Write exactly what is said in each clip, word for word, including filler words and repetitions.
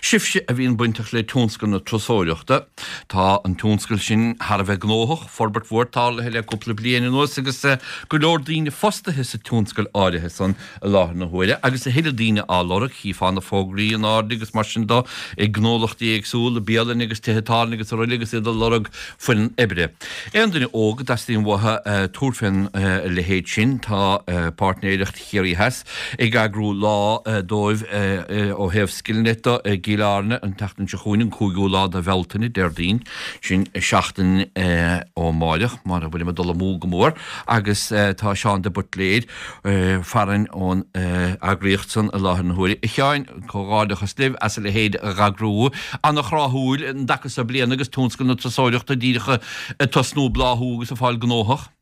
Sibhse a bhíonn bainteach le tionscal na turasóireachta, tá an tionscal sin thar a bheith gnóthach, forbairt mhór tarlaithe le cúpla bliain anuas agus go leor daoine fostaithe sa tionscal áirithe san i láthair na huaire agus a thuilleadh daoine á lorg, chífeá na fógraí in airde agus mar sin de ag gnólachtaí éagsúla, bialanna agus tithe tábhairne agus araile agus iad ag lorg foireann oibre. Aon duine óg a dteastaíonn uathu tabhairt fén leithéid sin, tá Páirtnéireacht Chiarraí Theas ag eagrú lá dóibh ó thaobh Skillnet de i gCill Airne an tseachtain seo chugainn, an cúigiú lá de Bhealtaine, Déardaoin, sin seachtain ó amáireach, mara bhfuilim ag dul amú go mór, agus tá Seán de Buitléir farainn ón eagraíocht san i láthair na huaire. A Sheáin, comhghairdeachas libh as a leithéid a dh'eagrú. Ana-thráthúil an dtaca so bliana agus tionscal na turasóireachta díreach ag tosnú bláthú agus ag fáil gnóthach.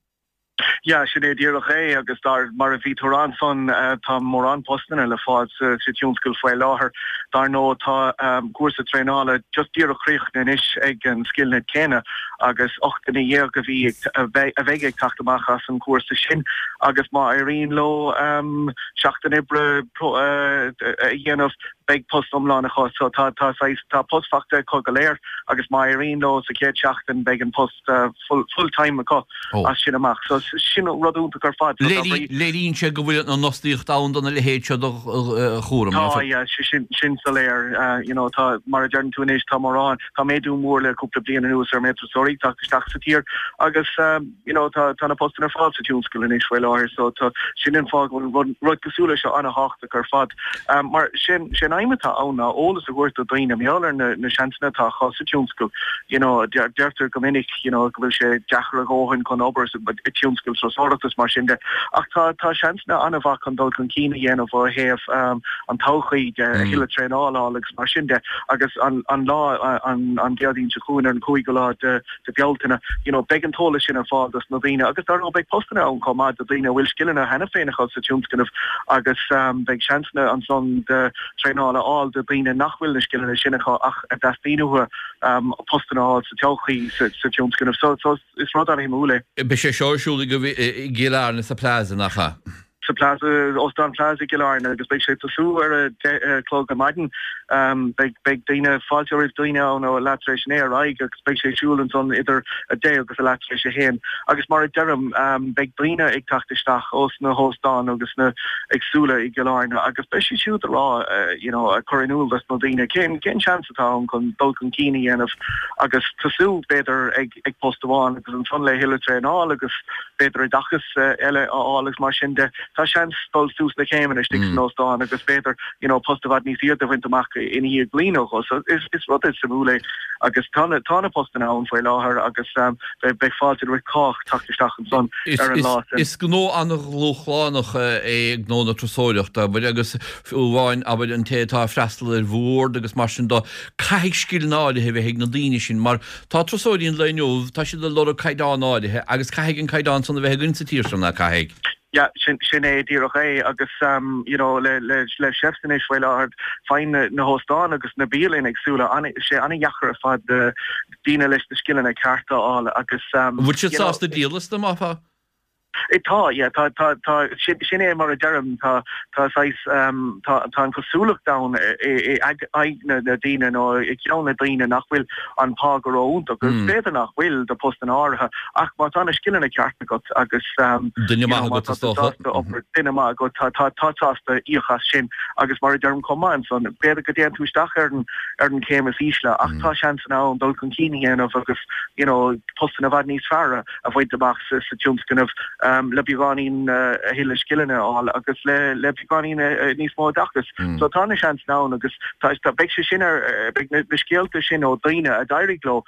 Yeah, sin é díreach é agus dar mar a bhí tú a rá ansan tá mórán postanna le fáil sa sa tionscal faoi láthair. Dar ndóigh tá cúrsa traenála just díreach críochnaithe anois ag an Skillnet céanna agus ocht nduine dhéag a bhí a bheidh ag teacht amach as an gcúrsa sin agus má éiríonn leo seachtain oibre a dhéanamh beidh post iomlán acu. So tá tá saghas tá post faighte acu go léir agus má éiríonn leo sa chéad seachtain beidh an post full full time acu as sin amach. So sin rud iontach ar fad. So tá brí. Léiríonn sé go bhfuil an fhostaíocht ann do na leithéid seo de chúram. Tá, yeah, sin sin soiléir. You know, tá, mar a deireann tú anois, tá mórán, tá méadú mór le cúpla bliain anuas ar méid turasóirí ag teacht isteach sa tír agus you know, tá tá na postanna ar fáil sa tionscal anois faoi láthair so tá sin an fáth go bhfuil rud rud cosúil leis seo an-thábhachtach ar fad. Mar sin sé an aidhm atá ann ná eolas a thabhairt do dhaoine mar gheall ar na na seansanna atá acu sa tionscal. You know, deirtear go minic you know, go bhfuil sé deacair a dhóthain chun obair sa tionscal turasóireachta is mar sin de ach tá tá seansanna an-mhaith chun dul chun cinn a dhéanamh ó thaobh an todhchaí de, a thuilleadh traenála a fháil agus mar sin de agus an an lá an an Déardaoin seo chugainn ar an cúigiú lá de de Bealtaine you know, beidh an t-eolas sin ar fáil dos na daoine agus dar ndóigh beidh postanna ann chomh maith do daoine a bhfuil scileanna cheana féin acu sa tionscnamh agus beidh seansanna ansan de traenáil a fháil do dhaoine nach bhfuil na scileanna sin acu ach a dteastaíonn uathu postanna a fháil sa todhchaí sa tionscnamh. So so is rud an-shuimiúil é. Beidh sé seo ar siúl i gCill Airne sa Plaza, nach ea? Sa Plaza, Óstán Plaza i gCill Airne agus beidh sé ag tosú ar a deich a chlog ar maidin. Beidh beidh daoine, fáilte roimh daoine ann ó leath tar éis a naoi ar aghaidh agus beidh sé ag siúl ansan idir a deich agus a leath tar éis a haon. Agus mar a deirim, beidh daoine ag teacht isteach ós na hóstáin agus na éagsúla i gCill Airne agus beidh siad siúd ag rá you know ag cur in iúl dos na daoine cén cén seans atá ann chun dul chun cinn a dhéanamh agus tosú b'fhéidir ag ag post amháin agus ansan le thuilleadh traenáil agus b'fhéidir oideachas eile a fháil agus mar sin de. Tá seans dul suas na céimeanna istigh san óstán agus b'fhéidir you know post i bhfad níos airde a bhaint amach ina dhiaidh bliain nó dhó. So is is rud suimiúil é agus tá na tá na postanna ann faoi láthair agus beidh beidh fáilte roimh chách teacht isteach ansan ar an lá sin. Is gnó an-dhúshlánach é gnó na turasóireachta, abair, agus fiú amháin, abair, an té atá ag freastal ar bhord agus mar sin de, caithfidh scileanna áirithe a bheith ag na daoine sin mar tá turasóirí an lae inniu, tá siad ag lorg caighdeán áirithe agus caithfidh an caighdeán san a bheith againn sa tír seo, ná caithfidh? Yeah, sin sin é díreach é agus you know le le le chefs anois faoi láthair faigheann na na hóstáin agus na bialanna éagsúla an sé an-dheacair ar fad daoine leis na scileanna cearta a fháil agus An bhfuil siad sásta díol astu, má tá? Tá, yeah, tá, tá, tá, sin, sin é mar a deirim, tá, tá saghas, tá, tá an chosúlacht ann i aghaidh na, na daoine nó i gceann na daoine nach bhfuil an pá go ró-iontach agus b'fhéidir nach bhfuil do postanna áirithe ach má tá na scileanna ceart agat agus Duine maith agat is dócha. obair, duine maith agat, tá, tá, tá sásta íoc as sin agus mar a deirim chomh maith ansan, b'fhéidir go dtéann tú isteach ar an, ar an chéim is ísle ach tá seansanna ann dul chun cinn a dhéanamh agus you know postanna i bhfad níos fearr a a bhaint amach sa tionscnamh le beagáinín a thuilleadh scileanna a fháil agus le le beagáinín níos mó oideachais. So tá na seansanna ann agus tá beidh sé sin ar beidh na scéalta sin ó daoine a d'éirigh leo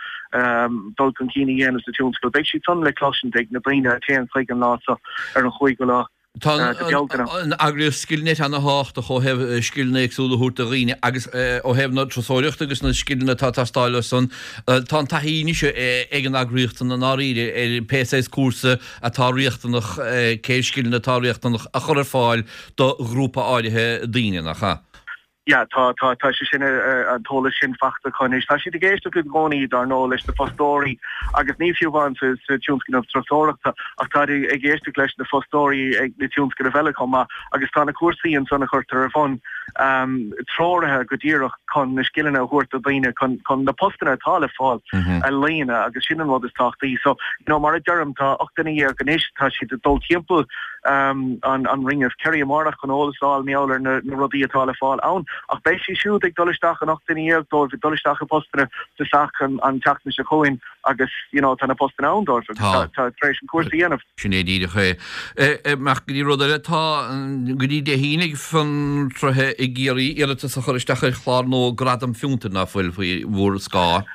dul chun cinn a dhéanamh sa tionscal, beidh siad san le cloisint ag na daoine a théann chuig an lá seo ar an chúigiú lá. Tá an eagraíocht Skillnet ana-thábhachtach ó thaobh scileanna éagsúla a thabhairt do dhaoine agus ó thaobh na turasóireachta agus na scileanna atá ag teastáil as san. Tá an taithí anois ag an eagraíocht san i ndáiríre ar pé saghas cúrsa atá riachtanach, cé scileanna atá riachtanach a chur ar fáil do ghrúpa áirithe daoine, nach ea? Yeah, tá tá tá sé sin an t-eolas sin faighte acu anois. Tá siad ag éisteacht i gcónaí dar ndóigh leis na fostóirí agus ní fiú amháin sa sa tionscnamh turasóireachta ach tá ag éisteacht leis na fostóirí ag na tionscnaimh eile chomh maith agus tá na cúrsaí ansan a chuirtear ar bun um, treoraithe go díreach chun na scileanna a thabhairt do dhaoine chun chun na postanna atá le fáil mm -hmm. a líonadh agus sin an rud is tábhachtaí. So you know, mar a deirim tá ocht nduine dhéag anois tá siad ag dul timpeall um, an, an Ring of Kerry amárach chun eolas a fháil mar gheall ar na, na rudaí atá le fáil ann. Ach beidh siad siúd ag dul isteach an ocht nduine dhéag dóibh ag dul isteach i bpostanna sa sac an, an tseachtain seo chugainn agus you know, tá na postanna ann dóibh agus tá, tá tar éis an cúrsa a dhéanamh. Sin é díreach é. Ach go dtí rud eile tá go dtí Dé hAoine ag fiontraithe i gCiarraí iarratas a chur isteach ar chlár nua Gradam Fiontair nach bhfuil faoi bhur scáth.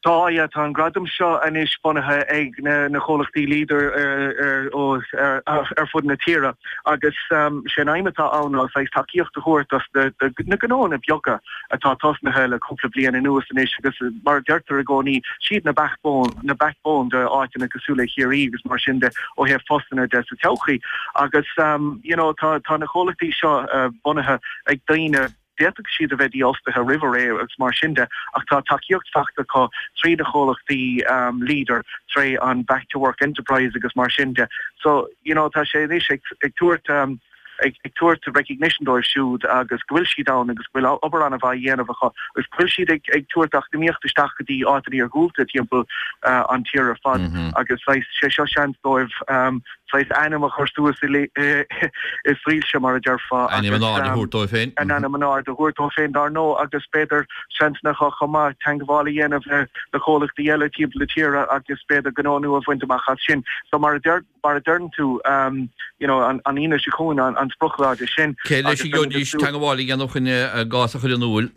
Tá yeah, tá an gradam seo anois bunaithe ag na, na comhlachtaí Leader ar, ar, ar, ar fud na tíre agus um, sé an aidhm atá ann ná saghas tacaíocht a thabhairt dos na, na gnónna beaga atá tosnaithe le cúpla bliain anuas anois agus mar deirtear i gcónaí siad na backbone na backbone de áiteanna cosúil le Ciarraí agus mar sin de ó thaobh postanna de sa todhchaí agus um, you know, tá, tá na comhlachtaí seo uh, bunaithe ag daoine d'fhéadfadh siad a bheith dífhostaithe roimh ré agus mar sin de ach tá tacaíocht faighte acu trí na comhlachtaí um, Leader tré an back to work enterprise agus mar sin de. So you know, tá sé anois ag, ag tabhairt um, ag, ag tabhairt recognition dóibh siúd agus go bhfuil siad ann agus go bhfuil obair an-mhaith á dhéanamh acu agus go bhfuil siad ag, ag tabhairt eacnamaíocht isteach go dtí áiteanna iargúlta timpeall uh, an tír ar fad mm -hmm. agus sé seo seans dóibh um, saghas ainm a chur suas i soilse mar a déarfá Ainm in airde a thabhairt dóibh féin. An ainm in airde a thabhairt dóibh féin dar ndóigh agus b'fhéidir seansanna chomh maith teagmháil a dhéanamh le le comhlachtaí eile timpeall na tíre agus b'fhéidir gnó nua a bhaint amach as sin. So mar a deir mar a deireann tú um, you know, an, an Aoine seo chugainn an, an sprioclá de sin. Cé leis a gcaithfidís teagmháil a dhéanamh chun a gcás a chur in iúl?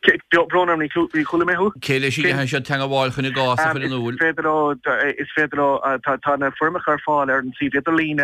Brón orm ní chuala mé thú? Cé leis a gcaithfidh siad teagmháil chun a gcás a chur in iúl? Is féidir leo is féidir leo tá tá na foirmeacha ar fáil ar an suíomh idirlín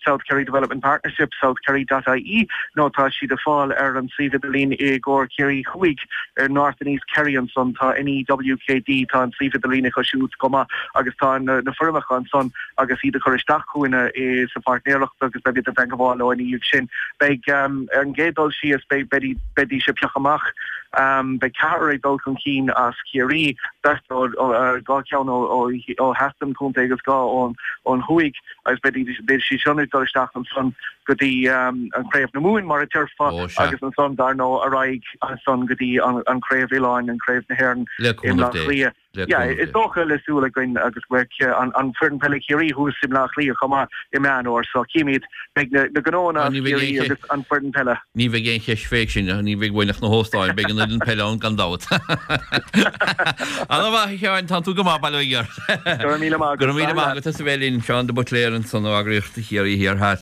South Kerry Development Partnership southkerry.ie nó tá siad ar fáil ar an suíomh idirlín i gcomhair Ciarraí Thuaidh ar North and East Kerry ansan tá NEWKD tá an suíomh idirlín acu siúd chomh maith agus tá na, na foirmeacha ansan agus iad a chur isteach chugainne i sa pháirtnéireacht agus beidh iad ag teagmháil leo ina dhiaidh sin. Beidh um, ar an gcéad dul síos beidh beidh sé pioctha amach um, beidh ceathrar ag dul chun cinn as Ciarraí beirt dhá cheann ó theas den chontae agus dhá ón ón thuaidh agus beidh siad sin ag dul isteach ansan go dtí um, an Craobh na Mumhan mar a déarfá agus ansan dar ndóigh ar aghaidh ansan go dtí an, an Craobh Oileáin an Craobh na hÉireann Le i cúnamh Mbleá Dé. Cliath. Le Yeah, cúnamh is Dé. dócha le súil againn agus beidh an, an foireann peile Chiarraí thuas i mBleá Cliath chomh maith i Meán Fhómhair, so címid beidh na, na gnónna Ah, as ní bheidh Ciarraí aon agus an foireann peile. Ní bheidh aon cheist fé sin ní bheidh uainn ach na hóstáin, beidh an fhoireann peile ann gan dabht. An-mhaith a Sheáin tá tú go maith bail ó Dhia ort. Go raibh míle maith Go raibh míle maith agat as a bheith linn Seán de Buitléar ansan ó eagraíocht Chiarraí Thiar Theas.